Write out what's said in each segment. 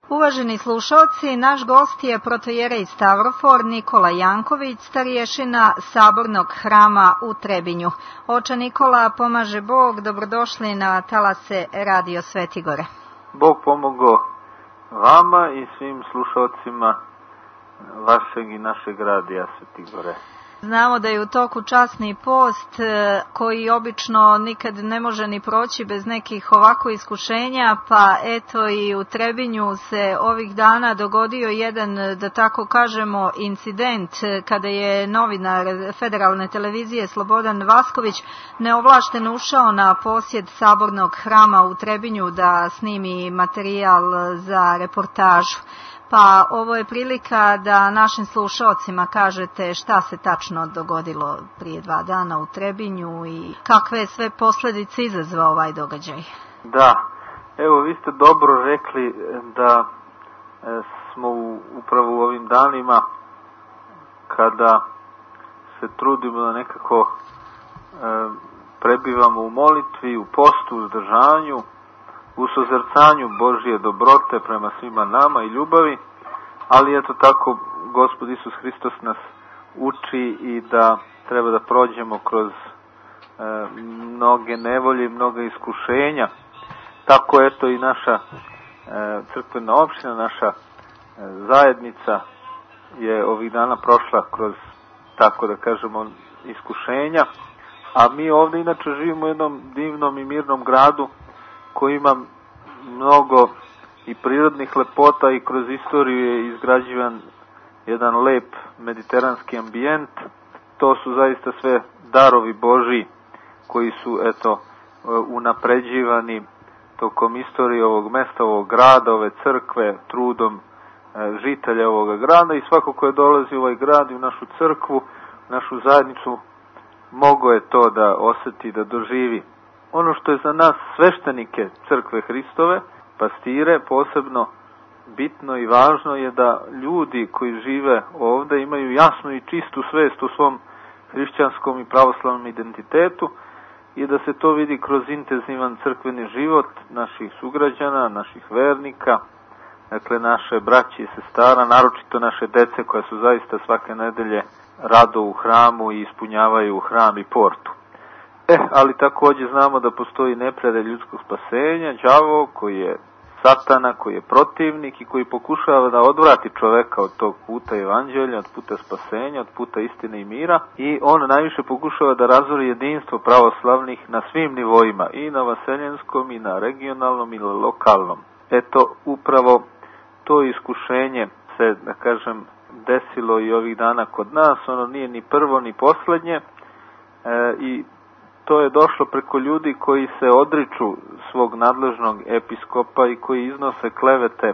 Uvaženi slušalci, naš gost je protojerej Stavrofor Nikola Janković, starješina Sabornog hrama u Trebinju. Oče Nikola, pomaže Bog, dobrodošli na talase Radio Svetigore. Bog pomogao vama i svim slušalcima vašeg i našeg radija Svetigore. Znamo da je u toku časni post koji obično nikad ne može ni proći bez nekih ovako iskušenja, pa eto i u Trebinju se ovih dana dogodio jedan, da tako kažemo, incident kada je novinar Federalne televizije Slobodan Vasković neovlašteno ušao na posjed Sabornog hrama u Trebinju da snimi materijal za reportažu. Pa ovo je prilika da našim slušalcima kažete šta se tačno dogodilo prije 2 dana u Trebinju i kakve sve posljedice izazvao ovaj događaj. Da, evo vi ste dobro rekli da smo upravo u ovim danima kada se trudimo da nekako prebivamo u molitvi, u postu, u uzdržanju, u sozrcanju Božje dobrote prema svima nama i ljubavi, ali eto tako Gospod Isus Hristos nas uči i da treba da prođemo kroz mnoge nevolje i mnoga iskušenja. Tako eto i naša crkvena opština, naša zajednica je ovih dana prošla kroz, tako da kažemo, iskušenja, a mi ovdje inače živimo u jednom divnom i mirnom gradu koji ima mnogo i prirodnih lepota i kroz istoriju je izgrađivan jedan lep mediteranski ambijent. To su zaista sve darovi Božji koji su eto unapređivani tokom istorije ovog mesta, ovog grada, ove crkve, trudom žitelja ovoga grada i svako ko je dolazi u ovaj grad i u našu crkvu, našu zajednicu, mogao je to da osjeti, da doživi. Ono što je za nas sveštenike crkve Hristove, pastire, posebno bitno i važno je da ljudi koji žive ovdje imaju jasnu i čistu svest o svom hrišćanskom i pravoslavnom identitetu i da se to vidi kroz intenzivan crkveni život naših sugrađana, naših vernika, dakle naše braće i sestara, naročito naše dece koja su zaista svake nedelje rado u hramu i ispunjavaju hram i portu. Ali također znamo da postoji neprijatelj ljudskog spasenja, đavo koji je satana, koji je protivnik i koji pokušava da odvrati čoveka od tog puta evanđelja, od puta spasenja, od puta istine i mira i on najviše pokušava da razori jedinstvo pravoslavnih na svim nivoima, i na vaseljenskom, i na regionalnom, i na lokalnom. Eto, upravo to iskušenje se, da kažem, desilo i ovih dana kod nas, ono nije ni prvo ni posljednje i to je došlo preko ljudi koji se odriču svog nadležnog episkopa i koji iznose klevete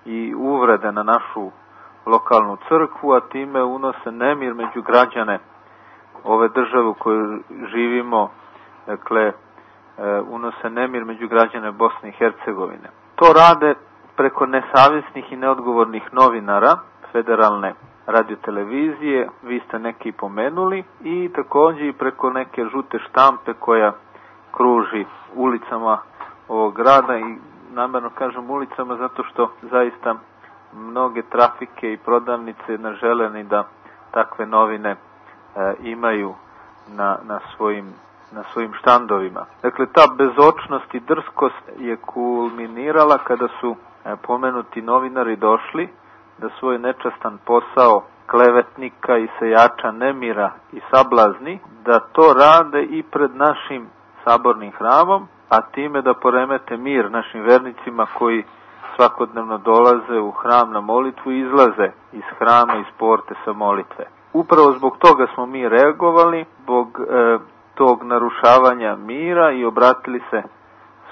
i uvrede na našu lokalnu crkvu, a time unose nemir među građane ove države u kojoj živimo, dakle unose nemir među građane Bosne i Hercegovine. To rade preko nesavjesnih i neodgovornih novinara Federalne radiotelevizije, vi ste neki pomenuli, i također i preko neke žute štampe koja kruži ulicama ovog grada, i namjerno kažem ulicama zato što zaista mnoge trafike i prodavnice ne žele ni da takve novine imaju na svojim štandovima. Dakle, ta bezočnost i drskost je kulminirala kada su pomenuti novinari došli da svoj nečastan posao klevetnika i sejača nemira i sablazni, da to rade i pred našim sabornim hramom, a time da poremete mir našim vernicima koji svakodnevno dolaze u hram na molitvu i izlaze iz hrama, iz porte sa molitve. Upravo zbog toga smo mi reagovali, zbog tog narušavanja mira, i obratili se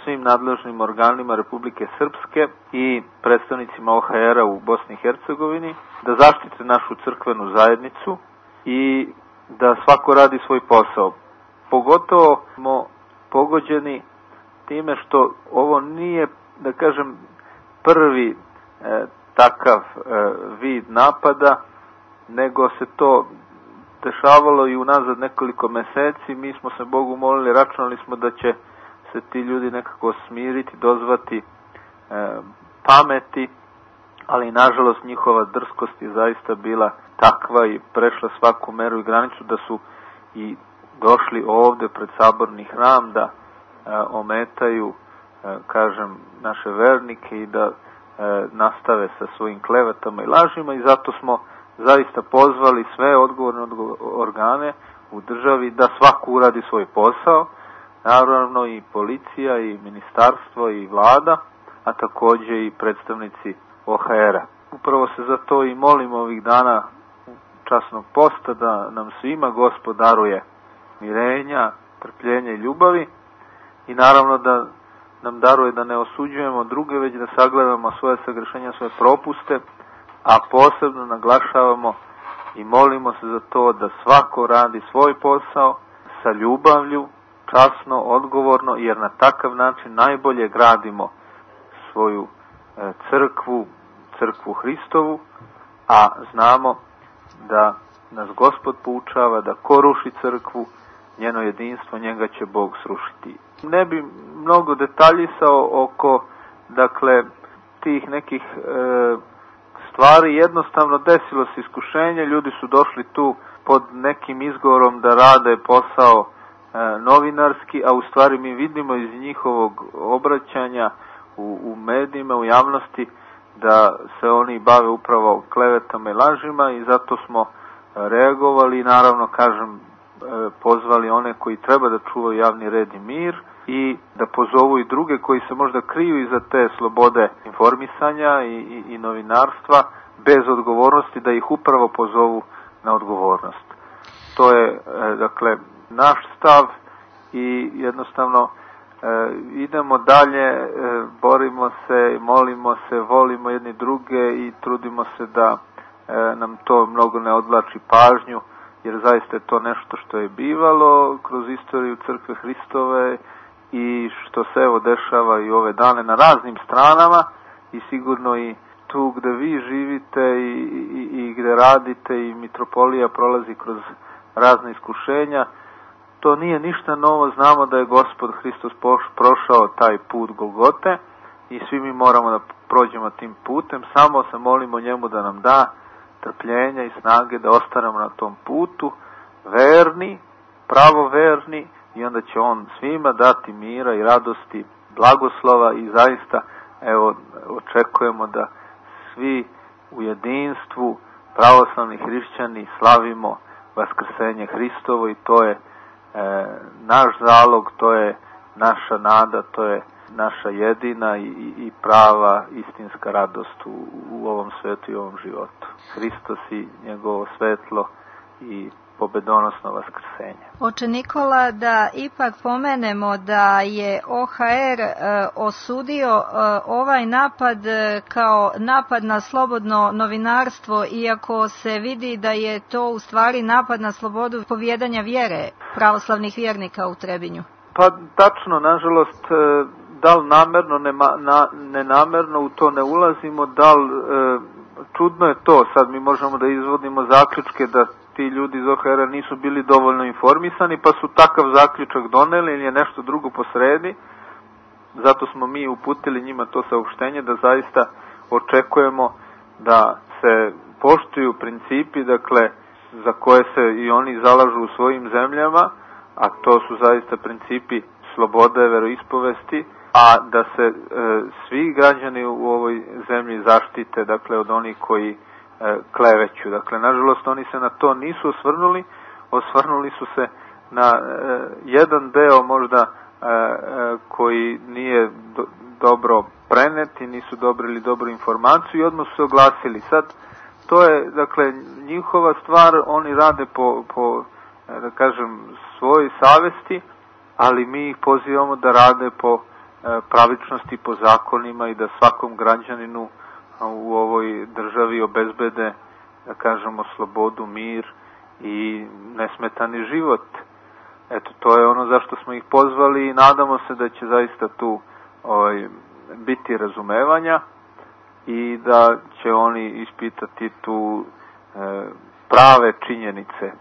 svim nadležnim organima Republike Srpske i predstavnicima OHR-a u Bosni i Hercegovini da zaštite našu crkvenu zajednicu i da svako radi svoj posao. Pogotovo smo pogođeni time što ovo nije, da kažem, prvi takav vid napada, nego se to dešavalo i unazad nekoliko meseci. Mi smo se Bogu molili, računali smo da će se ti ljudi nekako smiriti, dozvati pameti, ali nažalost njihova drskost je zaista bila takva i prešla svaku meru i granicu da su i došli ovde pred saborni hram da ometaju, kažem, naše vernike i da nastave sa svojim klevetama i lažima, i zato smo zaista pozvali sve odgovorne organe u državi da svako uradi svoj posao, naravno i policija i ministarstvo i vlada, a takođe i predstavnici OHR-a. Upravo se za to i molimo ovih dana časnog posta da nam svima Gospod daruje mirenja, trpljenja i ljubavi, i naravno da nam daruje da ne osuđujemo druge, već da sagledamo svoje sagrešenja, svoje propuste, a posebno naglašavamo i molimo se za to da svako radi svoj posao sa ljubavlju, časno, odgovorno, jer na takav način najbolje gradimo svoju crkvu Hristovu, a znamo da nas Gospod poučava da ko ruši crkvu, njeno jedinstvo, njega će Bog srušiti. Ne bi mnogo detaljisao oko, dakle, tih nekih stvari. Jednostavno desilo se iskušenje, ljudi su došli tu pod nekim izgovorom da rade posao novinarski, a u stvari mi vidimo iz njihovog obraćanja u medijima, u javnosti, da se oni bave upravo klevetama i lažima, i zato smo reagovali i naravno, kažem, pozvali one koji treba da čuvaju javni red i mir i da pozovu i druge koji se možda kriju iza te slobode informisanja i novinarstva bez odgovornosti, da ih upravo pozovu na odgovornost. To je, dakle, naš stav i jednostavno idemo dalje, borimo se, molimo se, volimo jedni druge i trudimo se da nam to mnogo ne odvlači pažnju, jer zaista je to nešto što je bivalo kroz istoriju Crkve Hristove i što se evo dešava i ove dane na raznim stranama, i sigurno i tu gde vi živite i gde radite, i mitropolija prolazi kroz razne iskušenja. To nije ništa novo, znamo da je Gospod Hristos prošao taj put Golgote i svi mi moramo da prođemo tim putem, samo se molimo njemu da nam da trpljenja i snage da ostanemo na tom putu, verni, pravoverni, i onda će on svima dati mira i radosti, blagoslova, i zaista, evo, očekujemo da svi u jedinstvu, pravoslavni hrišćani, slavimo vaskrsenje Hristovo, i to je naš zalog, to je naša nada, to je naša jedina i prava istinska radost u ovom svetu i ovom životu. Hristos i njegovo svetlo i pobedonosno vaskrsenje. Oče Nikola, da ipak pomenemo da je OHR osudio ovaj napad kao napad na slobodno novinarstvo, iako se vidi da je to u stvari napad na slobodu povjedanja vjere pravoslavnih vjernika u Trebinju. Pa tačno, nažalost, da li namerno, nenamerno, u to ne ulazimo, da li čudno je to, sad mi možemo da izvodimo zaključke da ti ljudi iz OHR-a nisu bili dovoljno informisani, pa su takav zaključak doneli ili je nešto drugo posredi. Zato smo mi uputili njima to saopštenje da zaista očekujemo da se poštuju principi, dakle, za koje se i oni zalažu u svojim zemljama, a to su zaista principi slobode, veroispovesti, a da se svi građani u ovoj zemlji zaštite, dakle, od onih koji kleveću. Dakle, nažalost, oni se na to nisu osvrnuli su se na jedan deo možda koji nije dobro prenet i nisu dobrili dobru informaciju i odmah su se oglasili. Sad, to je, dakle, njihova stvar, oni rade po da kažem, svojoj savesti, ali mi ih pozivamo da rade po pravičnosti, po zakonima i da svakom građaninu u ovoj državi obezbede, da kažemo, slobodu, mir i nesmetani život. Eto, to je ono zašto smo ih pozvali i nadamo se da će zaista tu biti razumevanja i da će oni ispitati tu prave činjenice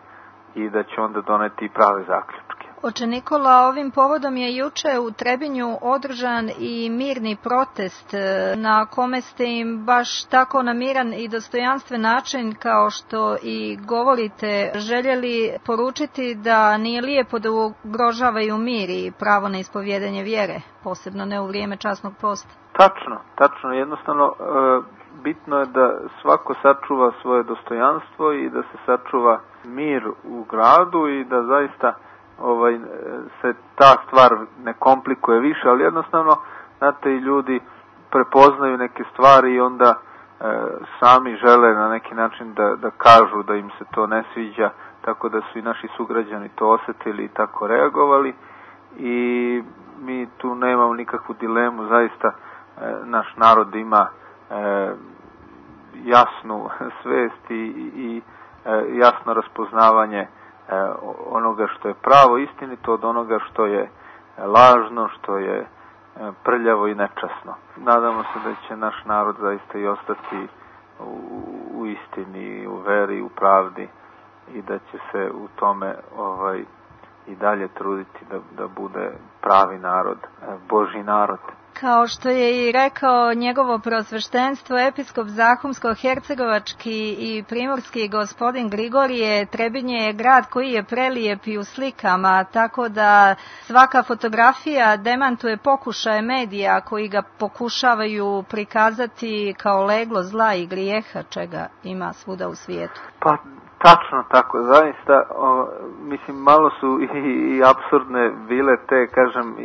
i da će onda doneti prave zaključke. Oče Nikola, ovim povodom je juče u Trebinju održan i mirni protest na kome ste im baš tako na miran i dostojanstven način, kao što i govorite, željeli poručiti da nije lijepo da ugrožavaju mir i pravo na ispovjedanje vjere, posebno ne u vrijeme časnog posta. Tačno, jednostavno bitno je da svako sačuva svoje dostojanstvo i da se sačuva mir u gradu i da zaista se ta stvar ne komplikuje više, ali jednostavno, znate, i ljudi prepoznaju neke stvari i onda sami žele na neki način da kažu da im se to ne sviđa, tako da su i naši sugrađani to osjetili i tako reagovali i mi tu nemamo nikakvu dilemu, zaista naš narod ima jasnu svest i jasno raspoznavanje onoga što je pravo, istinito od onoga što je lažno, što je prljavo i nečasno. Nadamo se da će naš narod zaista i ostati u istini, u veri, u pravdi i da će se u tome i dalje truditi da bude pravi narod, Božji narod. Kao što je i rekao njegovo preosveštenstvo, episkop Zahumsko-hercegovački i primorski gospodin Grigorije, Trebinje je grad koji je prelijep i u slikama, tako da svaka fotografija demantuje pokušaje medija koji ga pokušavaju prikazati kao leglo zla i grijeha, čega ima svuda u svijetu. Pa tačno tako, zaista, mislim, malo su i apsurdne bile te, kažem,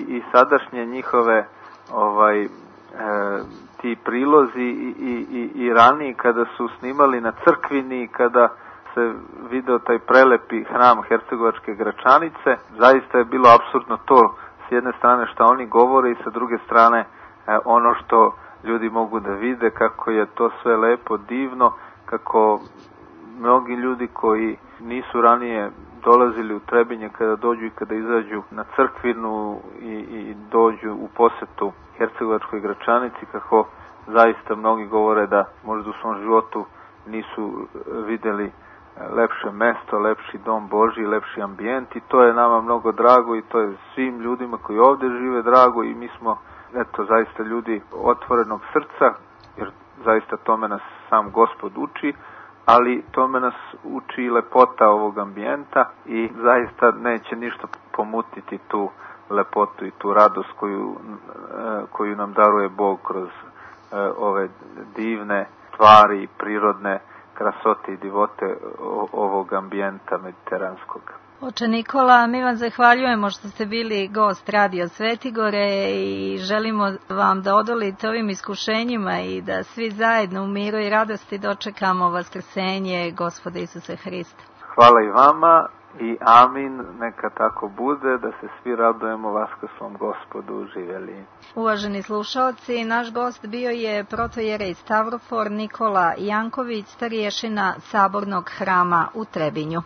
i sadašnje njihove ti prilozi i raniji kada su snimali na crkvini, kada se video taj prelepi hram Hercegovačke Gračanice, zaista je bilo apsurdno to, s jedne strane što oni govore i sa druge strane ono što ljudi mogu da vide, kako je to sve lepo, divno, kako mnogi ljudi koji nisu ranije dolazili u Trebinje, kada dođu i kada izađu na crkvinu i dođu u posetu Hercegovačkoj Gračanici, kako zaista mnogi govore da možda u svom životu nisu vidjeli lepše mesto, lepši dom Božji, lepši ambijent, i to je nama mnogo drago i to je svim ljudima koji ovdje žive drago i mi smo, eto, zaista ljudi otvorenog srca, jer zaista tome nas sam Gospod uči, ali tome nas uči i lepota ovog ambijenta i zaista neće ništa pomutiti tu lepotu i tu radost koju nam daruje Bog kroz ove divne stvari i prirodne krasote i divote ovog ambijenta mediteranskog. Oče Nikola, mi vam zahvaljujemo što ste bili gost Radio Svetigore i želimo vam da odolite ovim iskušenjima i da svi zajedno u miru i radosti dočekamo vaskrsenje Gospoda Isusa Hrista. Hvala i vama i amin, neka tako bude, da se svi radujemo vaskrslom Gospodu, živjeli. Uvaženi slušaoci, naš gost bio je protojerej Stavrofor Nikola Janković, starješina Sabornog hrama u Trebinju.